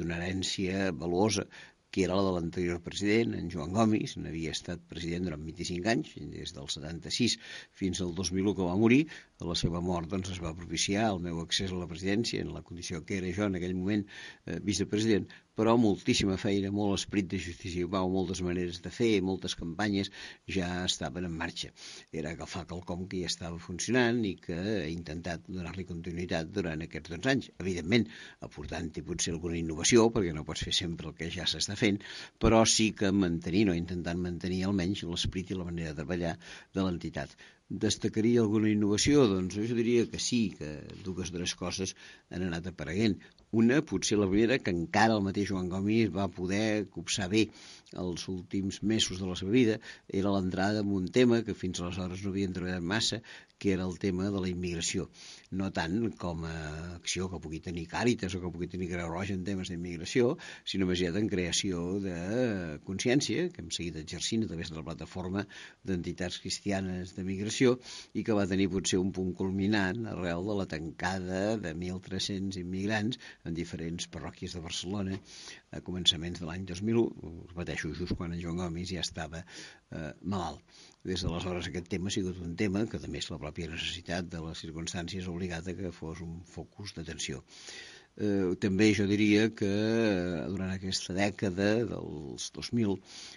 una herència valuosa, que era la de l'anterior president, en Joan Gomis. N'havia estat president durant 25 anys, des del 76 fins al 2001 que va morir. A la seva mort doncs, es va propiciar el meu accés a la presidència, en la condició que era jo en aquell moment vicepresident, però moltíssima feina, molt esperit de justícia i pau, moltes maneres de fer, moltes campanyes ja estaven en marxa. Era agafar quelcom que ja estava funcionant i que he intentat donar-li continuïtat durant aquests 12 anys. Evidentment, aportant-hi potser alguna innovació, perquè no pots fer sempre el que ja s'està fent, però sí que mantenint o intentant mantenir almenys l'esperit i la manera de treballar de l'entitat. Destacaria alguna innovació? Doncs jo diria que sí, que dues o tres coses han anat apareguent. Una, potser la primera, que encara el mateix Joan Gomis va poder copsar bé els últims mesos de la seva vida, era l'entrada en un tema que fins aleshores no havien treballat massa, que era el tema de la immigració. No tant com a acció que pugui tenir Càritas o que pugui tenir Creu Roja en temes d'immigració, sinó més aviat en creació de consciència, que hem seguit exercint a través de la plataforma d'entitats cristianes de migració i que va tenir potser un punt culminant arrel de la tancada de 1.300 immigrants en diferents parròquies de Barcelona a començaments de l'any 2001, repeteixo, just quan en Joan Gomis ja estava malalt. Des d'aleshores aquest tema ha sigut un tema que, a més, la pròpia necessitat de les circumstàncies ha obligat a que fos un focus d'atenció. També jo diria que durant aquesta dècada dels 2000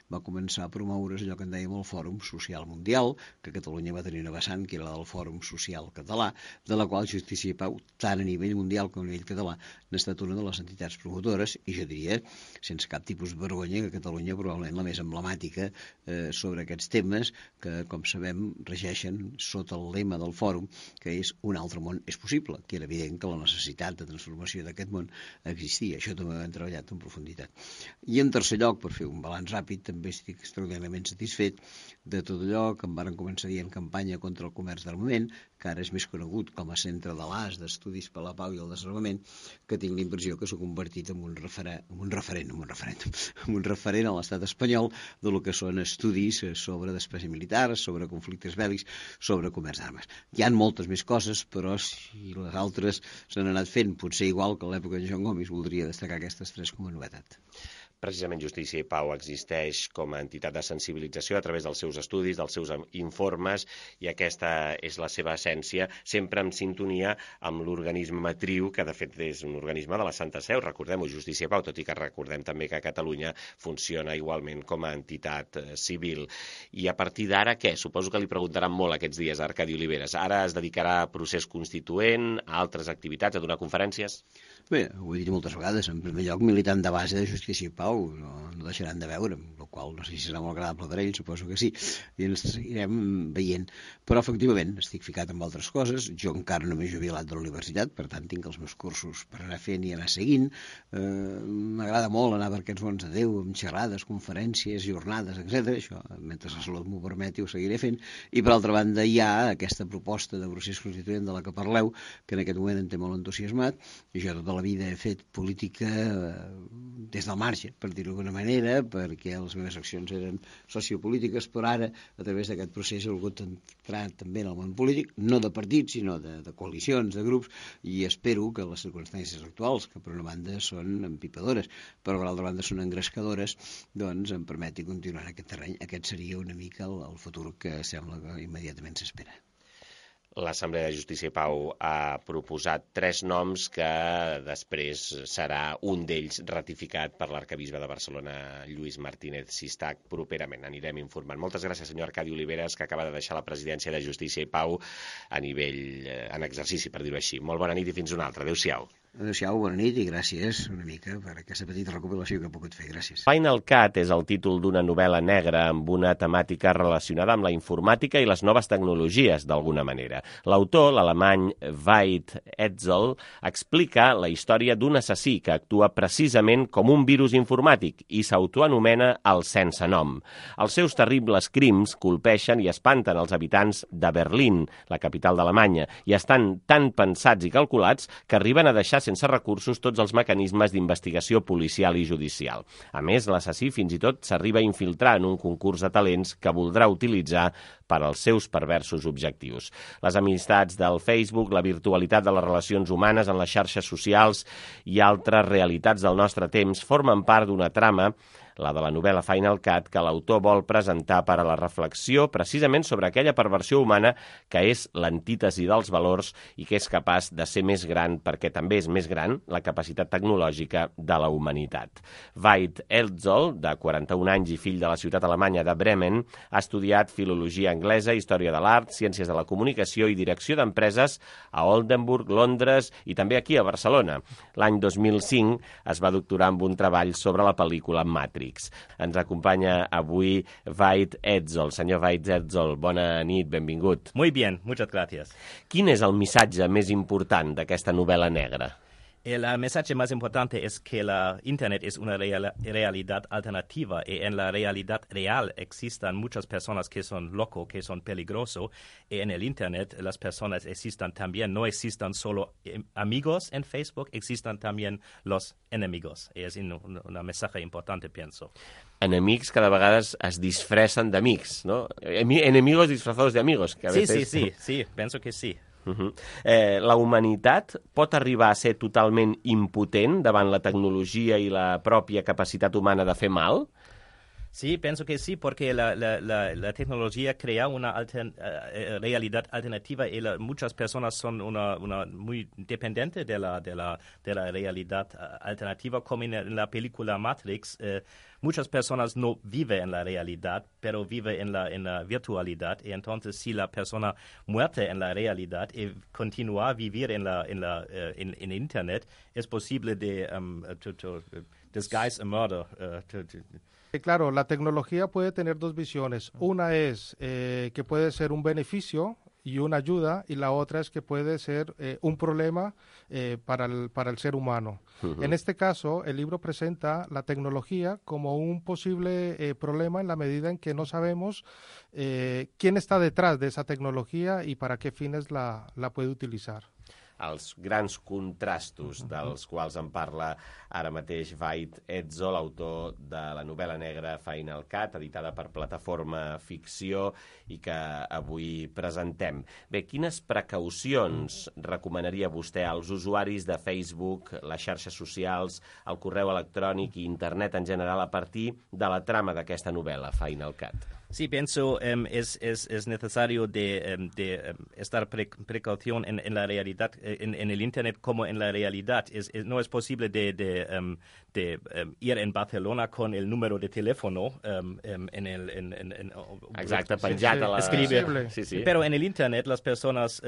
va començar a promoure's allò que en dèiem el Fòrum Social Mundial, que Catalunya va tenir una vessant, que era la del Fòrum Social Català, de la qual Justícia i Pau, tant a nivell mundial com a nivell català, n'ha estat una de les entitats promotores, i jo diria, sense cap tipus de vergonya, que Catalunya probablement la més emblemàtica sobre aquests temes, que, com sabem, regeixen sota el lema del fòrum, que és un altre món és possible, que era evident que la necessitat de transformació d'aquest món existia. Això també ho hem treballat en profunditat. I en tercer lloc, per fer un balanç ràpid, també estic extraordinàriament satisfet de tot allò que em varen començar dient campanya contra el comerç d'armament, que ara és més conegut com a Centre de l'AS d'Estudis per la Pau i el Desarmament, que tinc la impressió que s'ha convertit en un referent a l'estat espanyol de lo que són estudis sobre despesa militar, sobre conflictes bèl·lics, sobre comerç d'armes. Hi ha moltes més coses, però si les altres s'han anat fent potser igual que a l'època de Joan Gomis, voldria destacar aquestes tres com a novetat. Precisament Justícia i Pau existeix com a entitat de sensibilització a través dels seus estudis, dels seus informes, i aquesta és la seva essència, sempre en sintonia amb l'organisme matriu, que de fet és un organisme de la Santa Seu, recordem-ho, Justícia i Pau, tot i que recordem també que a Catalunya funciona igualment com a entitat civil. I a partir d'ara, què? Suposo que li preguntaran molt aquests dies a Arcadi Oliveres. Ara es dedicarà a procés constituent, a altres activitats, a donar conferències? Bé, ho he dit moltes vegades, en primer lloc militant de base de Justícia i Pau, no deixaran de veure'm, el qual no sé si serà molt agradable per a ells, suposo que sí, i ens seguirem veient. Però efectivament estic ficat en altres coses, jo encara no m'he jubilat de la universitat, per tant tinc els meus cursos per anar fent i anar seguint. M'agrada molt anar per aquests mons de Déu, amb xerrades, conferències, jornades, etc. Això, mentre la salut m'ho permeti, ho seguiré fent. I per altra banda hi ha aquesta proposta de procés constituent de la que parleu, que en aquest moment em té molt entusiasmat, i jo tota la vida he fet política des del marge, per dir-ho d'alguna manera, perquè les meves accions eren sociopolítiques, però ara, a través d'aquest procés, he volgut entrar també en el món polític, no de partits, sinó de coalicions, de grups, i espero que les circumstàncies actuals, que per una banda són empipadores, però per l'altra banda són engrescadores, doncs em permeti continuar en aquest terreny. Aquest seria una mica el futur que sembla que immediatament s'espera. L'Assemblea de Justícia i Pau ha proposat 3 noms que després serà un d'ells ratificat per l'arcabisbe de Barcelona, Lluís Martínez Sistac, properament. Anirem informant. Moltes gràcies, senyor Arcadi Oliveres, que acaba de deixar la presidència de Justícia i Pau en exercici, per dir-ho així. Molt bona nit i fins una altra. Adéu-siau. Adéu-siau, bona nit i gràcies una mica per aquesta petita recopilació que he pogut fer. Gràcies. Final Cut és el títol d'una novel·la negra amb una temàtica relacionada amb la informàtica i les noves tecnologies, d'alguna manera. L'autor, l'alemany Veit Etzel, explica la història d'un assassí que actua precisament com un virus informàtic i s'autoanomena el sense nom. Els seus terribles crims colpeixen i espanten els habitants de Berlín, la capital d'Alemanya, i estan tan pensats i calculats que arriben a deixar deixar sense recursos tots els mecanismes d'investigació policial i judicial. A més, l'assassí fins i tot s'arriba a infiltrar en un concurs de talents que voldrà utilitzar per als seus perversos objectius. Les amistats del Facebook, la virtualitat de les relacions humanes en les xarxes socials i altres realitats del nostre temps formen part d'una trama, la de la novel·la Final Cut, que l'autor vol presentar per a la reflexió precisament sobre aquella perversió humana que és l'antítesi dels valors i que és capaç de ser més gran perquè també és més gran la capacitat tecnològica de la humanitat. Veit Etzold, de 41 anys i fill de la ciutat alemanya de Bremen, ha estudiat filologia anglesa, història de l'art, ciències de la comunicació i direcció d'empreses a Oldenburg, Londres i també aquí a Barcelona. L'any 2005 es va doctorar amb un treball sobre la pel·lícula Matrix. Ens acompanya avui Veit Etzold. Senyor Veit Etzold, bona nit, benvingut. Muy bien, muchas gracias. Quin és el missatge més important d'aquesta novel·la negra? El mensaje más importante es que la Internet es una realidad alternativa y en la realidad real existen muchas personas que son locos, que son peligrosos y en el Internet las personas existen también, no existen solo amigos en Facebook, existen también los enemigos. Y es un mensaje importante, pienso. Enemics cada vegades es disfressen d'amics, ¿no? Enemigos disfrazados de amigos. Que a veces... Sí, pienso que sí. La humanitat pot arribar a ser totalment impotent davant la tecnologia i la pròpia capacitat humana de fer mal? Sí, pienso que sí, porque la tecnología crea una realidad alternativa y muchas personas son muy dependientes de la realidad alternativa, como en la película Matrix. Muchas personas no viven en la realidad, pero viven en la virtualidad. Y entonces, si la persona muere en la realidad y continúa a vivir en Internet, es posible de disguise a murder. Claro, la tecnología puede tener dos visiones. Una es que puede ser un beneficio y una ayuda, y la otra es que puede ser un problema para el ser humano. En este caso, el libro presenta la tecnología como un posible problema en la medida en que no sabemos quién está detrás de esa tecnología y para qué fines la puede utilizar. Els grans contrastos dels quals en parla ara mateix Veit Etzold, autor de la novel·la negra Final Cut, editada per Plataforma Ficció i que avui presentem. Bé, quines precaucions recomanaria vostè als usuaris de Facebook, les xarxes socials, el correu electrònic i internet en general a partir de la trama d'aquesta novel·la Final Cut? Sí, pienso es necesario de estar precaución en la realidad, en el Internet como en la realidad. No es posible de ir en Barcelona con el número de teléfono exacte, penjat a la... Escribir. Sí. Pero en el Internet las personas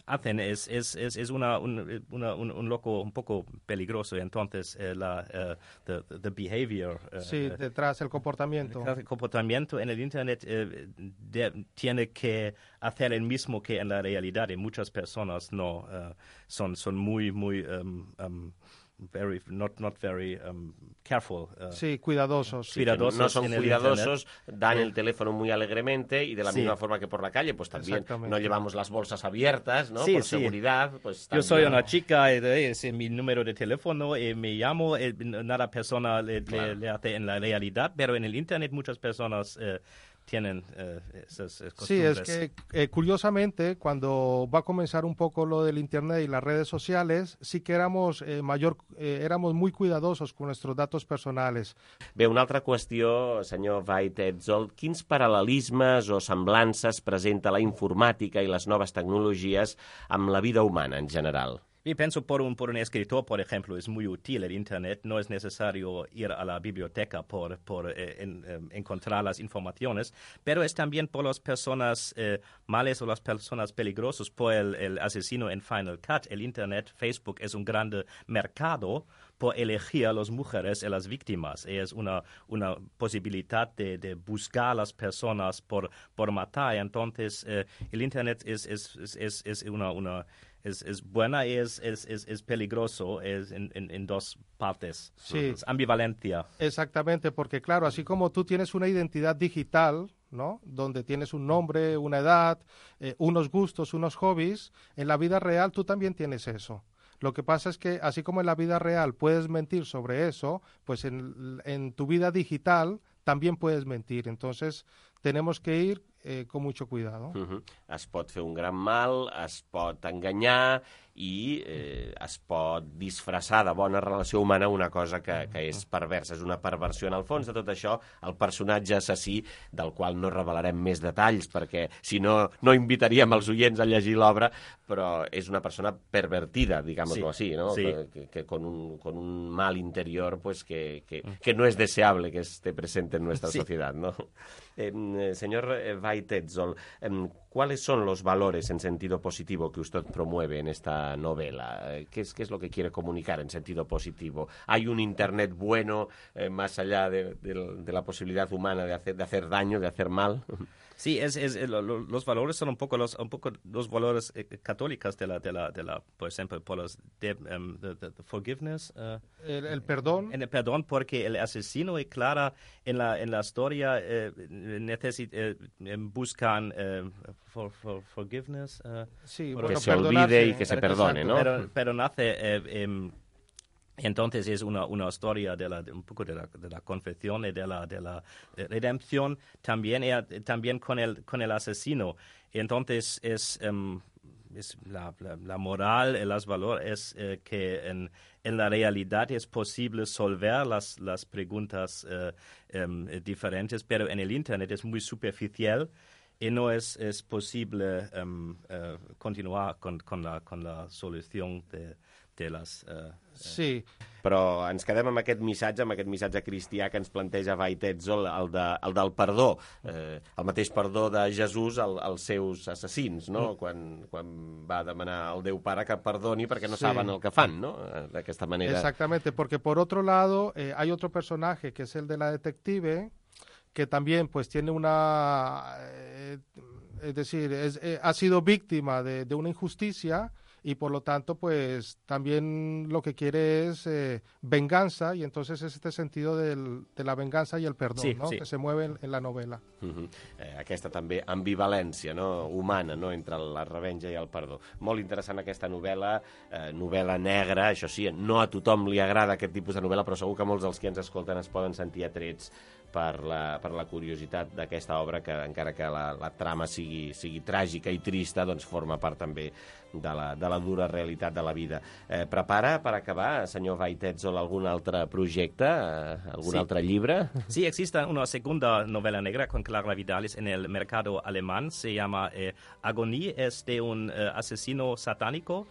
hacen es un loco un poco peligroso, entonces the behavior detrás el comportamiento en el Internet tiene que hacer el mismo que en la realidad, y muchas personas no son muy not very careful. Sí, cuidadosos. Sí, no son cuidadosos, dan el teléfono muy alegremente y de la misma forma que por la calle, pues también no llevamos las bolsas abiertas, ¿no? Por seguridad. Pues yo soy una chica, es mi número de teléfono, me llamo, nada persona le hace en la realidad, pero en el Internet muchas personas tienen esas costumbres. Sí, es que curiosamente cuando va a comenzar un poco lo del Internet y las redes sociales, sí que éramos muy cuidadosos con nuestros datos personales. Bé, una altra qüestió, senyor Veit Etzold, quins paral·lelismes o semblances presenta la informàtica i les noves tecnologies amb la vida humana en general? Y pienso por un escritor, por ejemplo, es muy útil el Internet. No es necesario ir a la biblioteca por encontrar las informaciones, pero es también por las personas males o las personas peligrosas, por el asesino en Final Cut. El Internet, Facebook, es un gran mercado por elegir a las mujeres y las víctimas. Es una posibilidad de buscar a las personas por matar. Entonces, el Internet es buena y es peligroso, es en dos partes. Sí. Es ambivalencia. Exactamente, porque claro, así como tú tienes una identidad digital, ¿no? Donde tienes un nombre, una edad, unos gustos, unos hobbies. En la vida real tú también tienes eso. Lo que pasa es que, así como en la vida real puedes mentir sobre eso, pues en tu vida digital también puedes mentir. Entonces, tenemos que ir con mucho cuidado. Es pot fer un gran mal, es pot enganyar i es pot disfressar de bona relació humana una cosa que és perversa, és una perversió. En el fons de tot això, el personatge assassí, del qual no revelarem més detalls, perquè si no, no invitaríem els oients a llegir l'obra, però és una persona pervertida, digámoslo así, ¿no? Sí. Que con un mal interior pues que no es deseable que esté presente en nuestra sociedad, ¿no? Señor Veit Etzold, ¿cuáles son los valores en sentido positivo que usted promueve en esta novela? ¿Qué es lo que quiere comunicar en sentido positivo? ¿Hay un Internet bueno más allá de la posibilidad humana de hacer daño, de hacer mal? Sí, los valores son un poco los valores católicos de la, por ejemplo, por los de forgiveness. El perdón. En el perdón, porque el asesino y Clara en la historia buscan forgiveness. Sí, que se olvide y que se perdone, ¿no? Pero nace... Entonces es una historia un poco de la confesión y de la redención también con el asesino. Entonces es la moral y los valores que en la realidad es posible solver las preguntas diferentes, pero en el Internet es muy superficial y no es posible continuar con la solución de las... Sí. Però ens quedem amb aquest missatge cristià que ens planteja Veit Etzold, el del perdó, el mateix perdó de Jesús als seus assassins, no? Quan va demanar al Déu Pare que perdoni perquè no saben el que fan, no? D'aquesta manera. Exactamente, porque por otro lado hay otro personaje que es el de la detective, que también pues tiene es decir, ha sido víctima de una injusticia y por lo tanto pues también lo que quiere es venganza, y entonces es este sentido de la venganza y el perdón, sí, ¿no? Sí. Que se mueve en la novela. Aquesta també ambivalència, no? Humana, no? Entre la revenja i el perdó. Molt interessant aquesta novel·la, novel·la negra, això sí, no a tothom li agrada aquest tipus de novel·la, però segur que molts dels que ens escolten es poden sentir atrets per la curiositat d'aquesta obra, que encara que la trama sigui tràgica i trista, doncs forma part també de la dura realitat de la vida. Prepara, per acabar, senyor Veit Etzold, algun altre projecte, algun altre llibre? Sí, existe una segunda novela negra con Clara Vidalis en el mercado alemán. Se llama Agonie. Es de un asesino satánico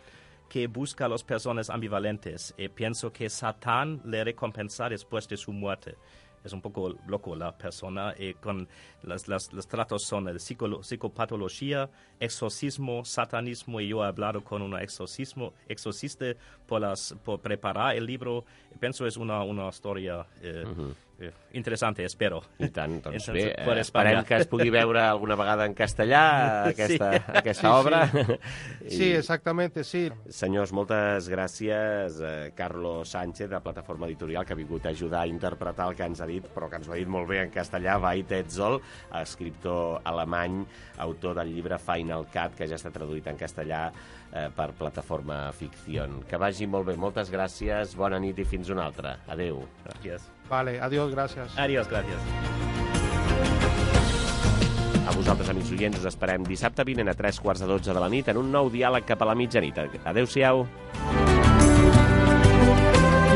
que busca a las personas ambivalentes. Pienso que Satán le recompensa después de su muerte. Es un poco loco la persona, con los tratos son el psicopatología, exorcismo, satanismo, y yo he hablado con un exorcista por preparar el libro. Pienso es una historia interessante, espero. I tant, doncs bé, esperem que es pugui veure alguna vegada en castellà aquesta obra. Sí, exactamente, sí. Senyors, moltes gràcies. Carlos Sánchez, de Plataforma Editorial, que ha vingut a ajudar a interpretar el que ens ha dit, però que ens ho ha dit molt bé en castellà. Veit Etzold, escriptor alemany, autor del llibre Final Cut, que ja està traduït en castellà per Plataforma Ficción. Que vagi molt bé. Moltes gràcies, bona nit i fins una altra. Adéu. Gràcies. Vale, adiós, gracias. Adiós, gràcies. A vosaltres, amics oients, us esperem dissabte vinent a 3:15 de la nit en un nou diàleg cap a la mitjanit. Adéu-siau.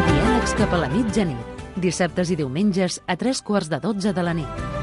Diàlegs cap a la mitjanit. Dissabtes i diumenges a 3:15 de la nit.